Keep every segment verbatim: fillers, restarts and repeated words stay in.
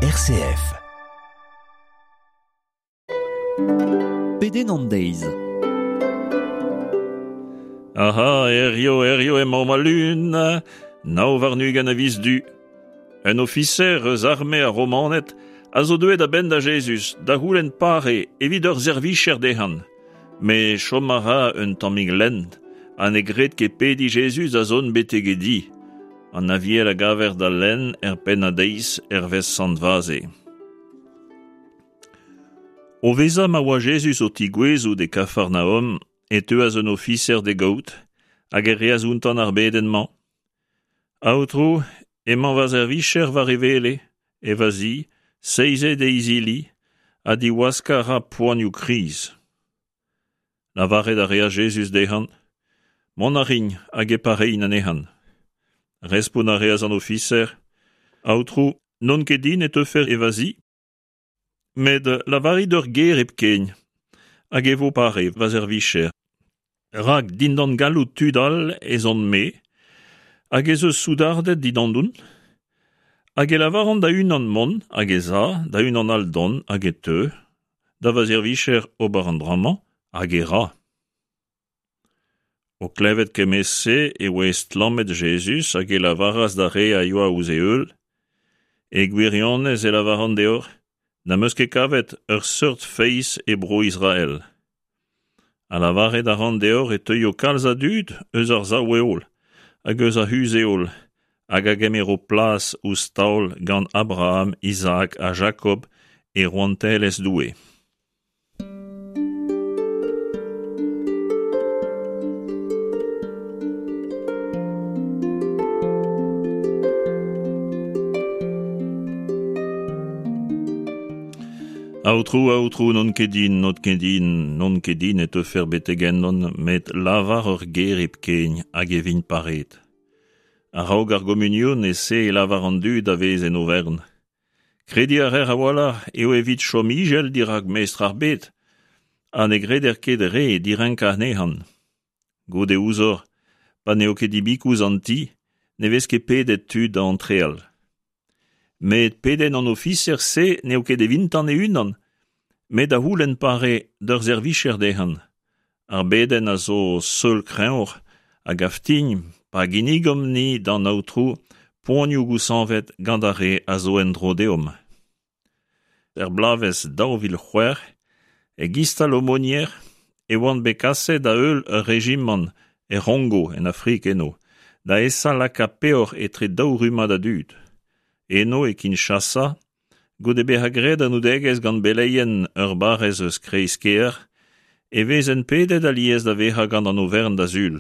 R C F. Pedenn an deiz. Aha, erio, erio emañ ma lun, nav warn-ugent a viz du. Un ofiser eus arme ar Romaned a zo deuet a-benn da Jezuz, da c'houlenn pare evit ur servicher dezhan. Met chom a ra un tammig lent, ha ne gred ket pediñ Jezuz a zont betek e di. An aviel a gaver da lenn er penn a deiz hervez Sant Vaze. O vezañ ma oa Jezuz o tigouezout e Kafarnaom, e teuas un ofiser d'e gaout, hag e reas outañ ar bedenn-mañ. Aotrou, emañ va servicher war e wele, e va zi, seizet e izili, ha diwaskañ a ra poanioù kriz. Lavaret a reas Jezuz dezhañ, mont a rin hag e parein anezhañ. Respont a reas an ofiser, Aotrou, n'on ket din e teufer e va zi, met lavarit ur ger hepken, hag e vo pare va servicher. Rak dindan galloud tud all ez on-me, hag ez eus soudarded dindandoun, hag e lavaran da unan mont, hag ez a, da unan all dont, hag e teu, da va servicher ober an dra-mañ, hag e ra. O klevet kement-se e oa estlammet Jezuz hag e lavaras d'ar re a yoa ouzh e heul, e gwirionez e lavaran deoc'h, n'am eus ket kavet ur seurt feiz e bro Israel. Ha lavaret a ran deoc'h e teuio kalz a dud eus ar sav-heol hag eus ar c'huzh-heol hag a gemero plas ouzh taol gant Abraham, Isaac ha Jakob e rouantelezh Doue. Aotrou, aotrou, n'on ket din, n'on ket din, n'on ket din e teufer betek ennon, met lavar ur ger hepken hag e vin paret. A-raok ar gomunion e se e lavar an dud a vez en overn. Krediñ a reer a-walc'h eo evit chom ijel dirak mestr ar bed, ha ne greder ket re direnkañ anezhañ. Goude ouzhoc'h, pa n'eo ket dibikouz an ti, ne vez ket pedet tud da antreal. Met pedenn an ofiser-se n'eo ket evintan e-unan, met da c'houlenn pare d'ur servicher dezhañ. Ar bedenn a zo seul kreñvoc'h hag aftign pa ginnigomp-ni d'an aotrou poanioù gouzañvet gant ar re a zo en-dro deomp. Er bloavezh daou vil c'hwec'h, e Gistal Aumônier e oant bet kaset da heul ur rejimant er C'hongo en Afrik eno, da esa lakaat peoc'h etre daou rummad a dud. Eno e Kinshasa, goude bezañ graet anoudegezh gant beleien ur barrez eus kreiz-kêr, e vezen pedet alies da vezañ gant an overn da Sul.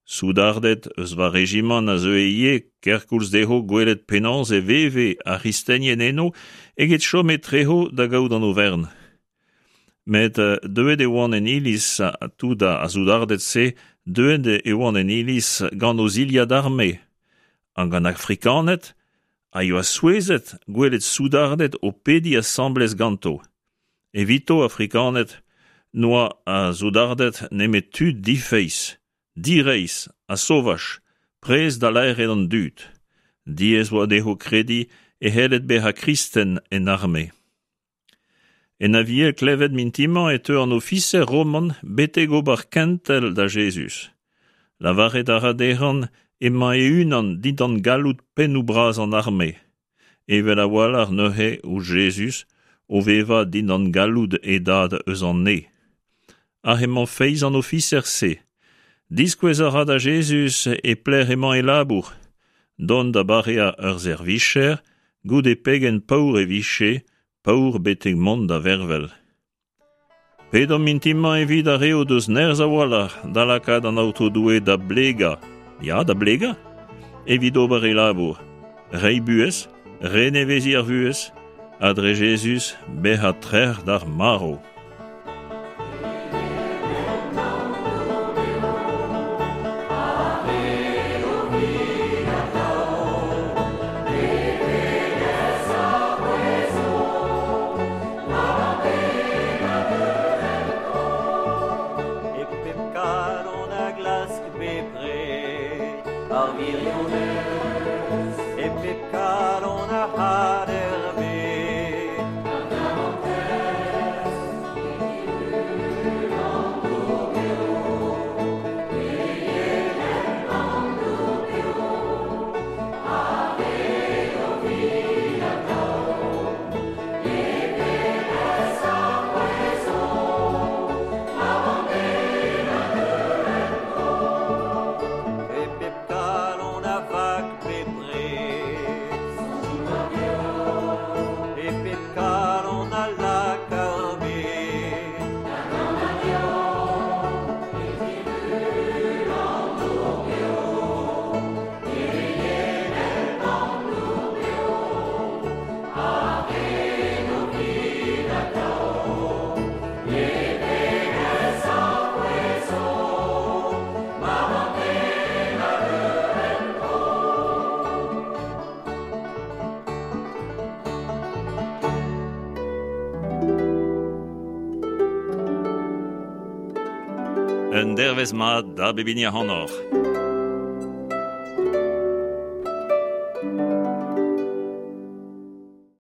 Soudarded eus va rejimant a zeue ivez kerkoulz dezho gwelet penaos e veve ar c'hristenien eno eget chom etrezo da gaout an overn. Met deuet e oant en iliz, ha tout ar soudarded-se, deuet e oant en iliz gant o zilhad arme. Hag an Afrikaned a yoa souezhet gwelet soudarded o pediñ asambles ganto. Evito Afrikaned n'oa a soudarded nemet tud difeiz, direizh ha sovaj, prest da laeret an dud. Diaes oa dezho krediñ e c'helled bezañ kristen en arme. En aviel klevet mintin-mañ e teu an ofiser roman betek ober kentel da Jezuz. Lavaret a ra dezhañ emañ e-unan dindan galloud pennoù bras an arme. Evel a-walc'h neuze ouzh Jezuz o vevañ dindan galloud e dad eus an neñv. Hag emañ feiz an ofiser-se. Diskouez a ra da Jezuz e pelec'h emañ e labour, dont da bareañ ur servicher, goude pegen paour e vije, paour betek mont da vervel. Pedomp mintin-mañ evit ar re o deus nerzh a-walc'h da lakaat an Aotrou Doue da blegañ, ya da blegañ, evit ober e labour, reiñ buhez, reneveziñ ar vuhez, ha dre Jezuz bezañ trec'h d'ar marv. E pep kalon a glask bepred ar wirionez, e pep kalon a had er bed. Un dervezh mat da bep hini ac'hanoc'h.